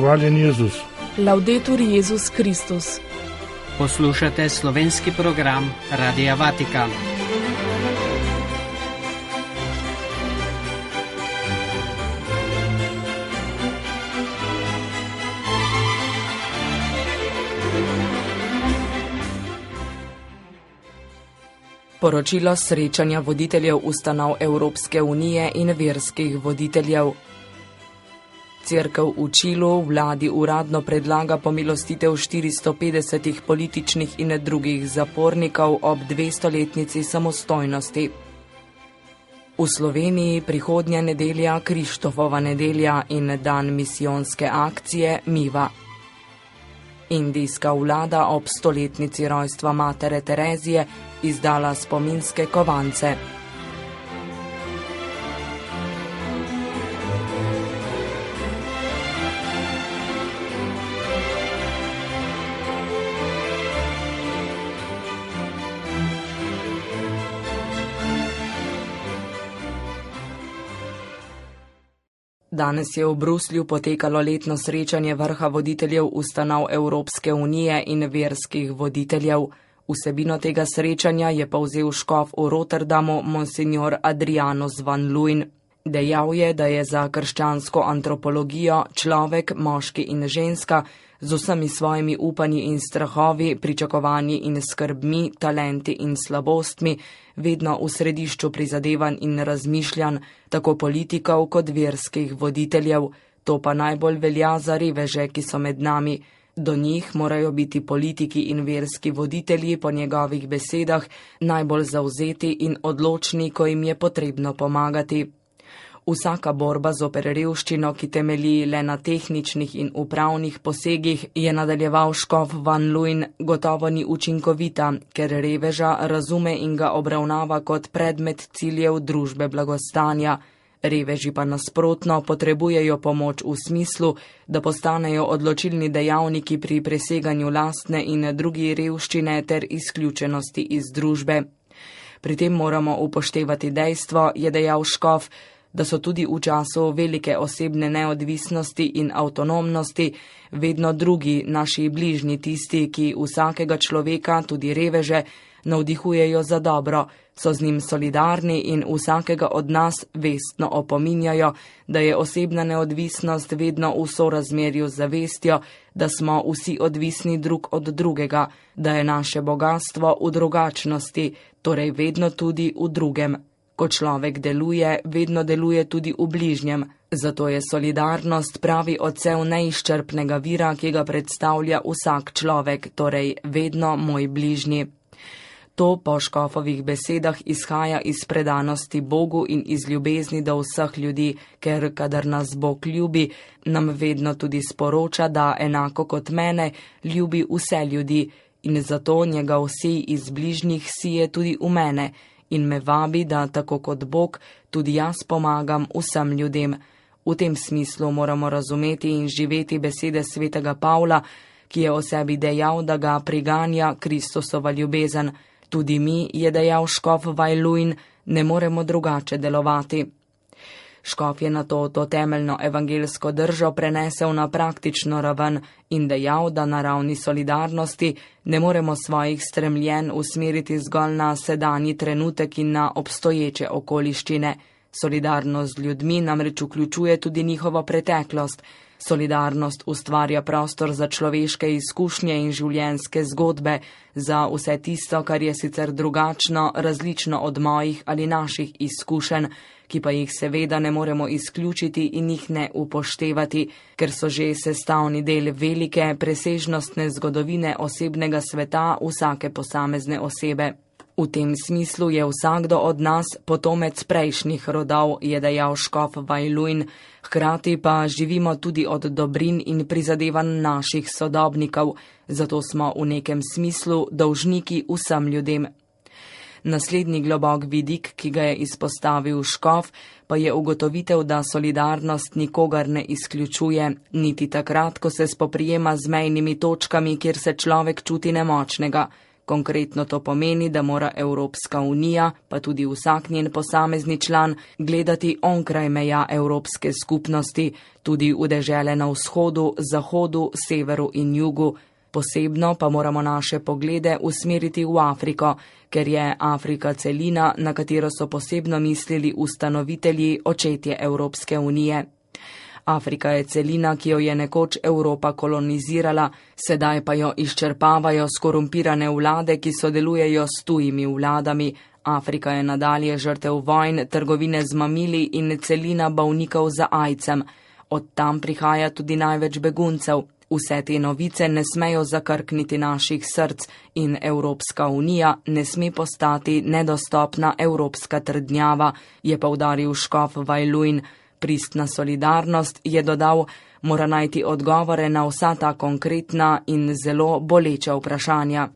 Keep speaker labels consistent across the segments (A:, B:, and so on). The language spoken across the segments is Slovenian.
A: Hvaljen Jezus.
B: Laudetur Jezus Kristus.
C: Poslušate slovenski program Radia Vatikan.
B: Poročilo srečanja voditeljev ustanov Evropske unije in verskih voditeljev. Cerkev v Čilu vladi uradno predlaga pomilostitev 450 političnih in drugih zapornikov ob 200-letnici samostojnosti. V Sloveniji prihodnja nedelja Krištofova nedelja in dan misijonske akcije Miva. Indijska vlada ob 100-letnici rojstva matere Terezije izdala spominske kovance. Danes je v Bruslju potekalo letno srečanje vrha voditeljev ustanov Evropske unije in verskih voditeljev. Vsebino tega srečanja je povzel škof v Rotterdamu monsignor Adrianus van Luyn. Dejal je, da je za krščansko antropologijo človek, moški in ženska z vsemi svojimi upanji in strahovi, pričakovanji in skrbmi, talenti in slabostmi, vedno v središču prizadevanj in razmišljanj, tako politikov kot verskih voditeljev. To pa najbolj velja za reveže, ki so med nami. Do njih morajo biti politiki in verski voditelji po njegovih besedah najbolj zavzeti in odločni, ko jim je potrebno pomagati. Vsaka borba zoper revščino, ki temelji le na tehničnih in upravnih posegih, je nadaljeval škof van Luyn, gotovo ni učinkovita, ker reveža razume in ga obravnava kot predmet ciljev družbe blagostanja. Reveži pa nasprotno potrebujejo pomoč v smislu, da postanejo odločilni dejavniki pri preseganju lastne in drugi revščine ter izključenosti iz družbe. Pri tem moramo upoštevati dejstvo, je dejal škof, da so tudi v času velike osebne neodvisnosti in avtonomnosti vedno drugi, naši bližnji, tisti, ki vsakega človeka, tudi reveže, navdihujejo za dobro, so z njim solidarni in vsakega od nas vestno opominjajo, da je osebna neodvisnost vedno v sorazmerju z zavestjo, da smo vsi odvisni drug od drugega, da je naše bogastvo v drugačnosti, torej vedno tudi v drugem. Ko človek deluje, vedno deluje tudi v bližnjem. Zato je solidarnost pravi odsev neizčrpnega vira, ki ga predstavlja vsak človek, torej vedno moj bližnji. To po škofovih besedah izhaja iz predanosti Bogu in iz ljubezni do vseh ljudi, ker kadar nas Bog ljubi, nam vedno tudi sporoča, da enako kot mene ljubi vse ljudi in zato njegov sij iz bližnjih sije tudi v mene in me vabi, da tako kot Bog, tudi jaz pomagam vsem ljudem. V tem smislu moramo razumeti in živeti besede svetega Pavla, ki je o sebi dejal, da ga priganja Kristusova ljubezen. Tudi mi, je dejal škof van Luyn, ne moremo drugače delovati. Škof je nato to temeljno evangelsko držo prenesel na praktično raven in dejal, da na ravni solidarnosti ne moremo svojih stremljenj usmeriti zgolj na sedanji trenutek in na obstoječe okoliščine. Solidarnost z ljudmi namreč vključuje tudi njihovo preteklost. Solidarnost ustvarja prostor za človeške izkušnje in življenjske zgodbe, za vse tisto, kar je sicer drugačno, različno od mojih ali naših izkušenj, ki pa jih seveda ne moremo izključiti in jih ne upoštevati, ker so že sestavni del velike, presežnostne zgodovine osebnega sveta vsake posamezne osebe. V tem smislu je vsakdo od nas potomec prejšnjih rodov, je dejal škof van Luyn, hkrati pa živimo tudi od dobrin in prizadevanj naših sodobnikov, zato smo v nekem smislu dolžniki vsem ljudem. Naslednji globok vidik, ki ga je izpostavil škof, pa je ugotovitev, da solidarnost nikogar ne izključuje, niti takrat, ko se spoprijema z mejnimi točkami, kjer se človek čuti nemočnega. Konkretno to pomeni, da mora Evropska unija, pa tudi vsak njen posamezni član, gledati onkraj meja Evropske skupnosti, tudi v dežele na vzhodu, zahodu, severu in jugu. Posebno pa moramo naše poglede usmeriti v Afriko, ker je Afrika celina, na katero so posebno mislili ustanovitelji, očetje Evropske unije. Afrika je celina, ki jo je nekoč Evropa kolonizirala, sedaj pa jo izčrpavajo skorumpirane vlade, ki sodelujejo s tujimi vladami. Afrika je nadalje žrtev vojn, trgovine z mamili in celina bolnikov za aidsom. Od tam prihaja tudi največ beguncev. Vse te novice ne smejo zakrkniti naših src in Evropska unija ne sme postati nedostopna evropska trdnjava, je poudaril škof Vajluin. Pristna solidarnost, je dodal, mora najti odgovore na vsa ta konkretna in zelo boleča vprašanja.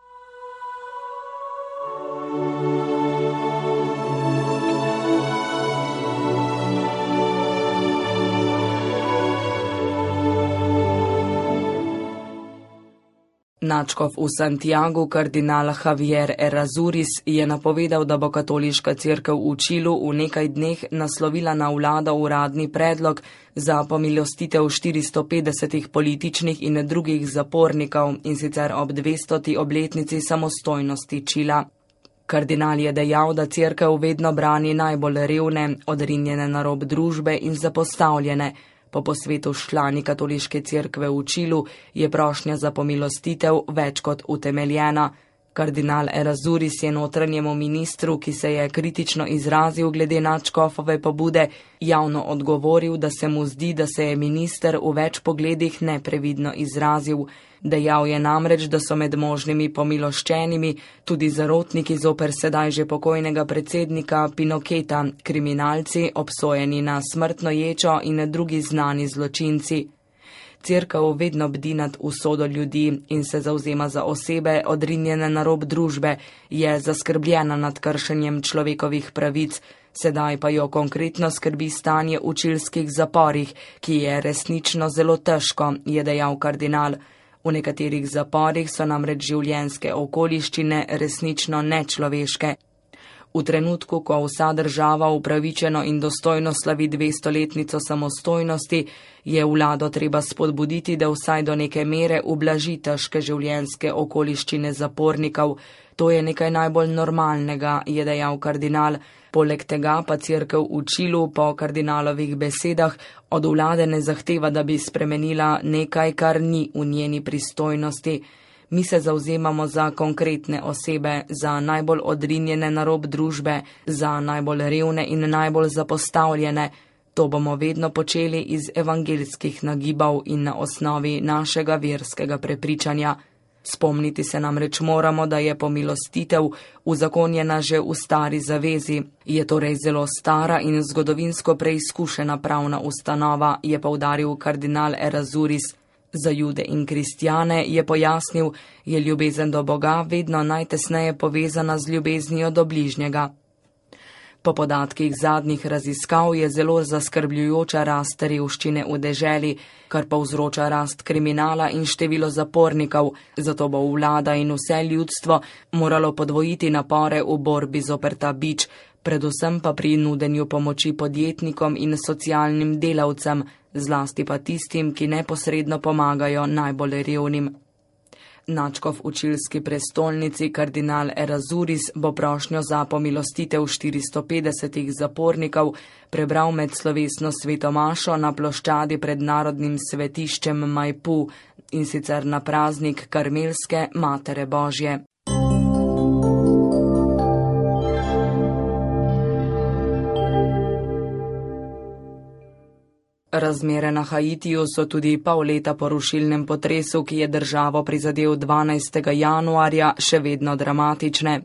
B: Nadškof v Santiagu, kardinal Javier Errázuriz, je napovedal, da bo katoliška cerkev v Čilu v nekaj dneh naslovila na vlado uradni predlog za pomilostitev 450 političnih in drugih zapornikov, in sicer ob 200. obletnici samostojnosti Čila. Kardinal je dejal, da cerkev vedno brani najbolj revne, odrinjene na rob družbe in zapostavljene. Po posvetu s člani katoliške cerkve v Čilu je prošnja za pomilostitev več kot utemeljena. Kardinal Errázuriz je notranjemu ministru, ki se je kritično izrazil glede nadškofove pobude, javno odgovoril, da se mu zdi, da se je minister v več pogledih neprevidno izrazil. Dejal je namreč, da so med možnimi pomiloščenimi tudi zarotniki zoper sedaj že pokojnega predsednika Pinoketa, kriminalci, obsojeni na smrtno ječo in drugi znani zločinci. Cerkev vedno bdi nad usodo ljudi in se zavzema za osebe, odrinjene na rob družbe, je zaskrbljena nad kršenjem človekovih pravic, sedaj pa jo konkretno skrbi stanje v čilskih zaporih, ki je resnično zelo težko, je dejal kardinal. V nekaterih zaporih so namreč življenjske okoliščine resnično nečloveške. V trenutku, ko vsa država upravičeno in dostojno slavi 200-letnico samostojnosti, je vlado treba spodbuditi, da vsaj do neke mere ublaži težke življenjske okoliščine zapornikov. To je nekaj najbolj normalnega, je dejal kardinal. Poleg tega pa cerkev v Čilu po kardinalovih besedah od vlade ne zahteva, da bi spremenila nekaj, kar ni v njeni pristojnosti. Mi se zavzemamo za konkretne osebe, za najbolj odrinjene na rob družbe, za najbolj revne in najbolj zapostavljene. To bomo vedno počeli iz evangeljskih nagibov in na osnovi našega verskega prepričanja. Spomniti se namreč moramo, da je pomilostitev uzakonjena že v stari zavezi. Je torej zelo stara in zgodovinsko preizkušena pravna ustanova, je poudaril kardinal Errázuriz. Za Jude in kristjane, je pojasnil, je ljubezen do Boga vedno najtesneje povezana z ljubeznijo do bližnjega. Po podatkih zadnjih raziskav je zelo zaskrbljujoča rast revščine v deželi, kar povzroča rast kriminala in število zapornikov, zato bo vlada in vse ljudstvo moralo podvojiti napore v borbi zoper ta bič, predvsem pa pri nudenju pomoči podjetnikom in socialnim delavcem, zlasti pa tistim, ki neposredno pomagajo najbolj revnim. Nadškof v čilski prestolnici kardinal Errázuriz bo prošnjo za pomilostitev 450 zapornikov prebral med slovesno svetomašo na ploščadi pred narodnim svetiščem Maipu, in sicer na praznik Karmelske Matere Božje. Razmere na Haitiju so tudi pol leta po rušilnem potresu, ki je državo prizadel 12. januarja, še vedno dramatične.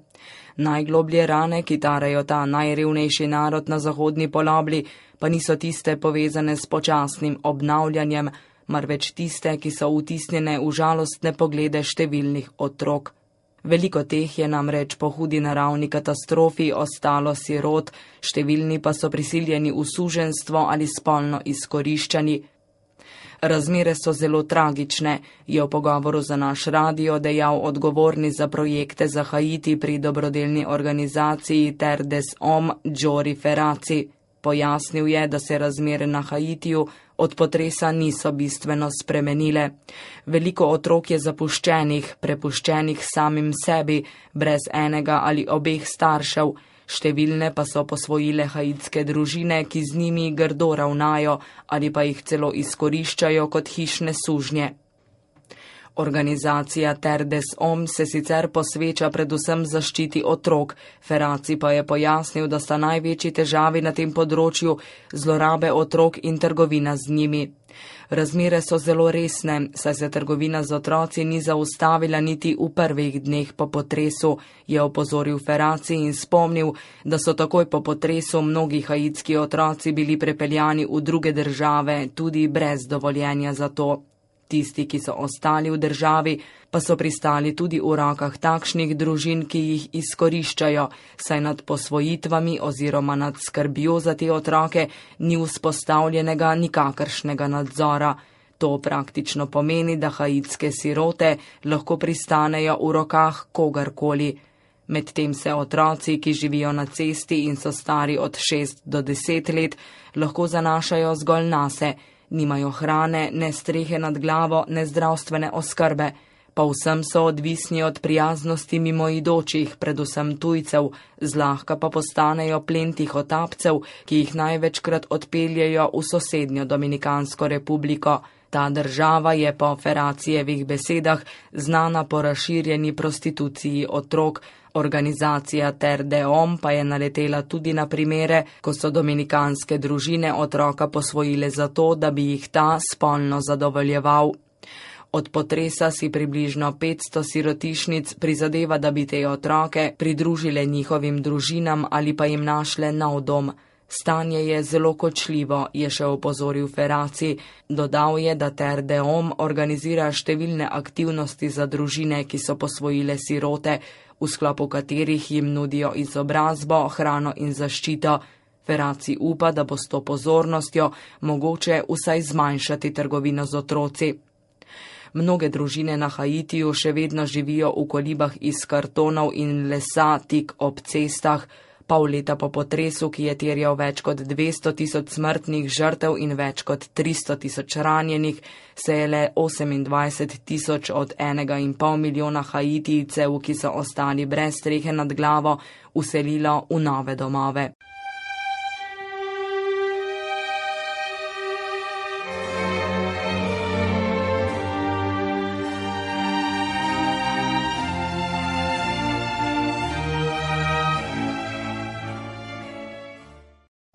B: Najgloblje rane, ki tarejo ta najrevnejši narod na zahodni polobli, pa niso tiste povezane s počasnim obnavljanjem, marveč tiste, ki so vtisnjene v žalostne poglede številnih otrok. Veliko teh je namreč po hudi naravni katastrofi ostalo sirot, številni pa so prisiljeni v suženjstvo ali spolno izkoriščani. Razmere so zelo tragične, je v pogovoru za naš radio dejal odgovorni za projekte za Haiti pri dobrodelni organizaciji Terre des Hommes Jory Ferrazzi. Pojasnil je, da se razmere na Haitiju od potresa niso bistveno spremenile. Veliko otrok je zapuščenih, prepuščenih samim sebi, brez enega ali obeh staršev. Številne pa so posvojile haitske družine, ki z njimi grdo ravnajo ali pa jih celo izkoriščajo kot hišne sužnje. Organizacija Terre des Hommes se sicer posveča predvsem zaščiti otrok, Ferrazzi pa je pojasnil, da sta največji težavi na tem področju zlorabe otrok in trgovina z njimi. Razmere so zelo resne, saj se trgovina z otroci ni zaustavila niti v prvih dneh po potresu, je opozoril Ferrazzi in spomnil, da so takoj po potresu mnogi haitski otroci bili prepeljani v druge države, tudi brez dovoljenja za to. Tisti, ki so ostali v državi, pa so pristali tudi v rokah takšnih družin, ki jih izkoriščajo, saj nad posvojitvami oziroma nad skrbjo za te otroke ni vzpostavljenega nikakršnega nadzora. To praktično pomeni, da haitske sirote lahko pristanejo v rokah kogarkoli. Medtem se otroci, ki živijo na cesti in so stari od 6 do 10 let, lahko zanašajo zgolj nase. Nimajo hrane, ne strehe nad glavo, ne zdravstvene oskrbe, pa vsem so odvisni od prijaznosti mimoidočih, predvsem tujcev, zlahka pa postanejo plen tihotapcev, ki jih največkrat odpeljejo v sosednjo Dominikansko republiko. Ta država je po Ferrazzijevih besedah znana po razširjeni prostituciji otrok. Organizacija Terre des Hommes pa je naletela tudi na primere, ko so dominikanske družine otroka posvojile zato, da bi jih ta spolno zadovoljeval. Od potresa si približno 500 sirotišnic prizadeva, da bi te otroke pridružile njihovim družinam ali pa jim našle nov dom. Stanje je zelo kočljivo, je še opozoril Ferrazzi. Dodal je, da Terre des Hommes organizira številne aktivnosti za družine, ki so posvojile sirote, v sklopu katerih jim nudijo izobrazbo, hrano in zaščito. Ferrazzi upa, da bo s to pozornostjo mogoče vsaj zmanjšati trgovino z otroci. Mnoge družine na Haitiju še vedno živijo v kolibah iz kartonov in lesa tik ob cestah. Pol leta po potresu, ki je terjal več kot 200 000 smrtnih žrtev in več kot 300 000 ranjenih, se je le 28 000 od 1,5 milijona Haitijcev, ki so ostali brez strehe nad glavo, vselilo v nove domove.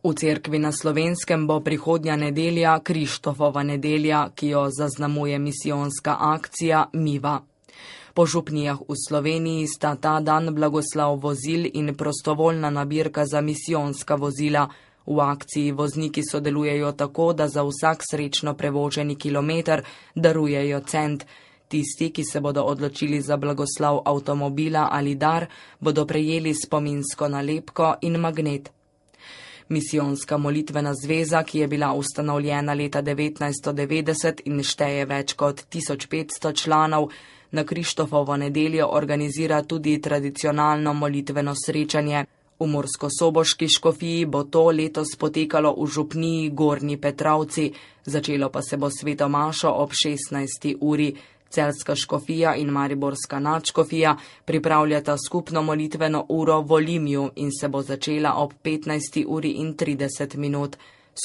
B: V cerkvi na Slovenskem bo prihodnja nedelja Krištofova nedelja, ki jo zaznamuje misijonska akcija Miva. Po župnijah v Sloveniji sta ta dan blagoslav vozil in prostovoljna nabirka za misijonska vozila. V akciji vozniki sodelujejo tako, da za vsak srečno prevoženi kilometer darujejo cent. Tisti, ki se bodo odločili za blagoslav avtomobila ali dar, bodo prejeli spominsko nalepko in magnet. Misijonska molitvena zveza, ki je bila ustanovljena leta 1990 in šteje več kot 1500 članov, na Krištofovo nedeljo organizira tudi tradicionalno molitveno srečanje. V Murskosoboški škofiji bo to letos potekalo v župniji Gornji Petrovci, začelo pa se bo sveto mašo ob 16. uri. Celjska škofija in mariborska nadškofija pripravljata skupno molitveno uro v Olimju in se bo začela ob 15:30.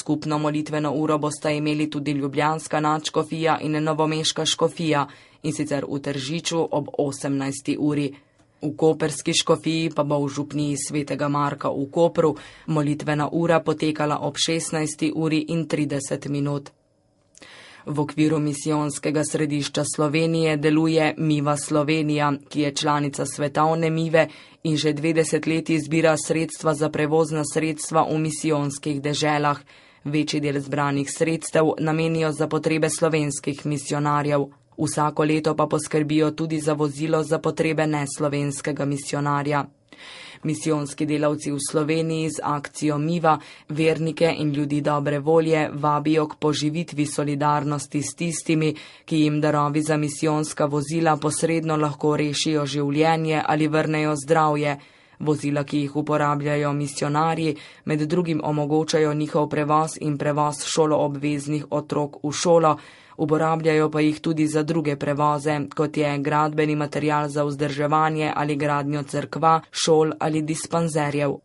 B: Skupno molitveno uro bosta imeli tudi ljubljanska nadškofija in novomeška škofija, in sicer v Tržiču ob 18. uri. V koperski škofiji pa bo v župniji svetega Marka v Kopru molitvena ura potekala ob 16:30. V okviru misijonskega središča Slovenije deluje Miva Slovenija, ki je članica svetovne Mive in že 2 desetletji zbira sredstva za prevozna sredstva v misijonskih deželah. Večji del zbranih sredstev namenijo za potrebe slovenskih misijonarjev. Vsako leto pa poskrbijo tudi za vozilo za potrebe neslovenskega misijonarja. Misijonski delavci v Sloveniji z akcijo Miva vernike in ljudi dobre volje vabijo k poživitvi solidarnosti s tistimi, ki jim darovi za misijonska vozila posredno lahko rešijo življenje ali vrnejo zdravje. Vozila, ki jih uporabljajo misionarji, med drugim omogočajo njihov prevoz in prevoz šoloobveznih otrok v šolo, uporabljajo pa jih tudi za druge prevoze, kot je gradbeni material za vzdrževanje ali gradnjo cerkva, šol ali dispanzerjev.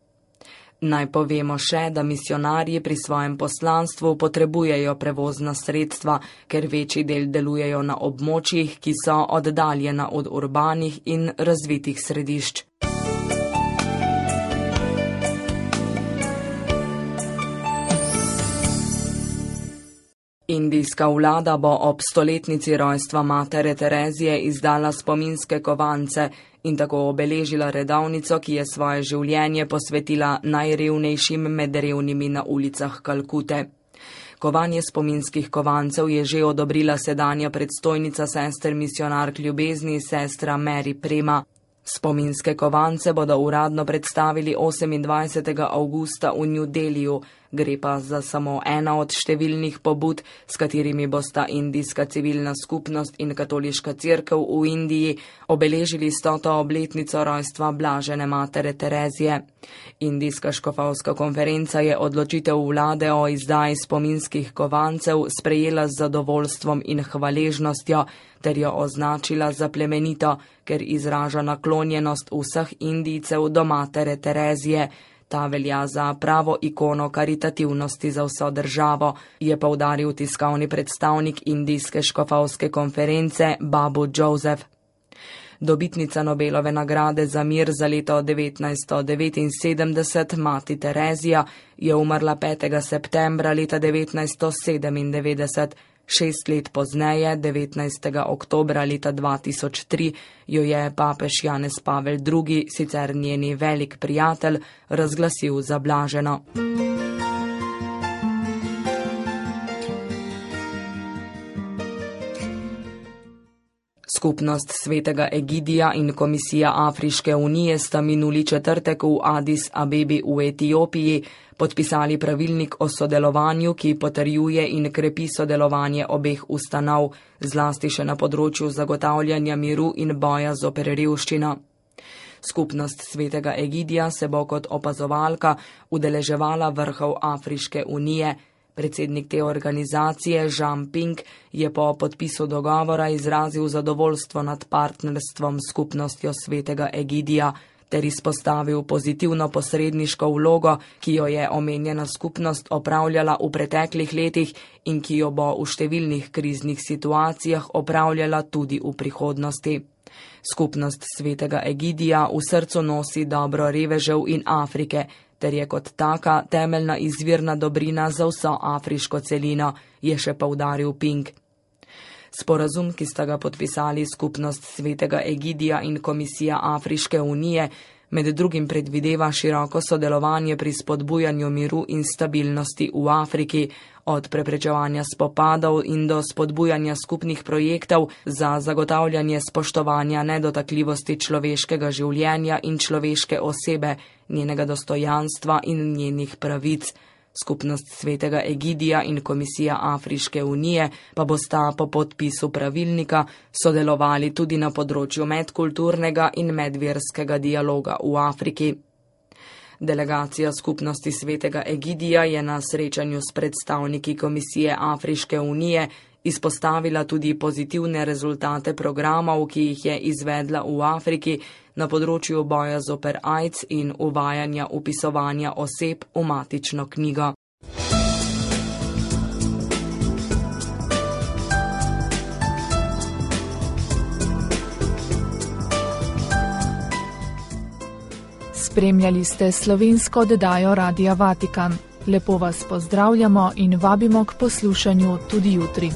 B: Naj povemo še, da misionarji pri svojem poslanstvu potrebujejo prevozna sredstva, ker večji del delujejo na območjih, ki so oddaljena od urbanih in razvitih središč. Indijska vlada bo ob 100-letnici rojstva matere Terezije izdala spominske kovance in tako obeležila redovnico, ki je svoje življenje posvetila najrevnejšim med revnimi na ulicah Kalkute. Kovanje spominskih kovancev je že odobrila sedanja predstojnica sester misionark ljubezni, sestra Mary Prema. Spominske kovance bodo uradno predstavili 28. avgusta v New Delhiju, gre pa za samo ena od številnih pobud, s katerimi bosta indijska civilna skupnost in katoliška cerkev v Indiji obeležili 100. obletnico rojstva blažene matere Terezije. Indijska škofovska konferenca je odločitev vlade o izdaji spominskih kovancev sprejela z zadovoljstvom in hvaležnostjo, ter jo označila za plemenito, ker izraža naklonjenost vseh Indijcev do matere Terezije. Ta velja za pravo ikono karitativnosti za vso državo, je poudaril tiskovni predstavnik Indijske škofovske konference Babu Joseph. Dobitnica Nobelove nagrade za mir za leto 1979, mati Terezija, je umrla 5. septembra leta 1997. 6 let pozneje, 19. oktobra leta 2003, jo je papež Janez Pavel II, sicer njeni velik prijatelj, razglasil za blaženo. Skupnost Svetega Egidija in Komisija Afriške unije sta minuli četrtek v Addis Abebi v Etiopiji podpisali pravilnik o sodelovanju, ki potrjuje in krepi sodelovanje obeh ustanov, zlasti še na področju zagotavljanja miru in boja zoper revščino. Skupnost Svetega Egidija se bo kot opazovalka udeleževala vrhov Afriške unije. Predsednik te organizacije, Jean Ping, je po podpisu dogovora izrazil zadovoljstvo nad partnerstvom s skupnostjo Svetega Egidija ter izpostavil pozitivno posredniško vlogo, ki jo je omenjena skupnost opravljala v preteklih letih in ki jo bo v številnih kriznih situacijah opravljala tudi v prihodnosti. Skupnost Svetega Egidija v srcu nosi dobro revežev in Afrike, ter je kot taka temeljna izvirna dobrina za vso afriško celino, je še poudaril Ping. Sporazum, ki sta ga podpisali Skupnost Svetega Egidija in Komisija Afriške unije, med drugim predvideva široko sodelovanje pri spodbujanju miru in stabilnosti v Afriki, od preprečevanja spopadov in do spodbujanja skupnih projektov za zagotavljanje spoštovanja nedotakljivosti človeškega življenja in človeške osebe, njenega dostojanstva in njenih pravic. Skupnost Svetega Egidija in Komisija Afriške unije pa bosta po podpisu pravilnika sodelovali tudi na področju medkulturnega in medverskega dialoga v Afriki. Delegacija Skupnosti Svetega Egidija je na srečanju s predstavniki Komisije Afriške unije izpostavila tudi pozitivne rezultate programov, ki jih je izvedla v Afriki na področju boja zoper AIDS in uvajanja vpisovanja oseb v matično knjigo.
A: Spremljali ste slovensko oddajo Radia Vatikan. Lepo vas pozdravljamo in vabimo k poslušanju tudi jutri.